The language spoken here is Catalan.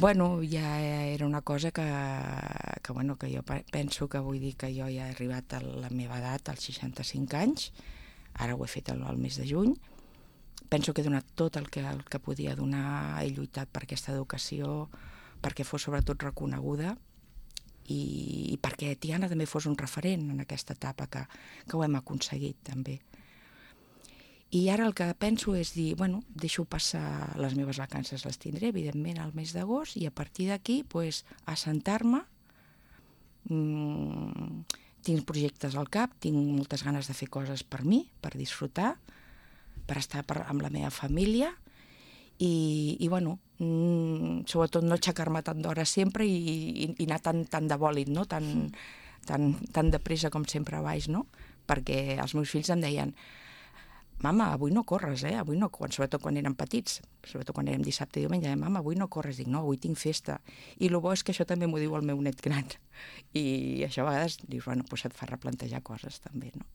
Bueno, ja era una cosa que jo penso que vull dir que jo ja he arribat a la meva edat, als 65 anys, ara ho he fet el mes de juny. Penso que he donat tot el que podia donar, he lluitat per aquesta educació, perquè fos sobretot reconeguda i perquè Tiana també fos un referent en aquesta etapa que ho hem aconseguit també. I ara el que penso és dir, bueno, deixo passar les meves vacances, les tindré evidentment al mes d'agost i a partir d'aquí assentar-me. Tinc projectes al cap, tinc moltes ganes de fer coses per mi, per disfrutar, per estar amb la meva família i bueno, sobretot no aixecar-me tant d'hora sempre i anar tan de bòlit, no? tan de pressa com sempre baix, no? Perquè els meus fills em deien: mama, avui no corres, avui no corres, sobretot quan eren petits, sobretot quan érem dissabte i diumenge, mama, avui no corres. Dic, no, avui tinc festa. I el bo és que això també m'ho diu el meu net gran. I això a vegades dius, bueno, doncs et fa replantejar coses també, no?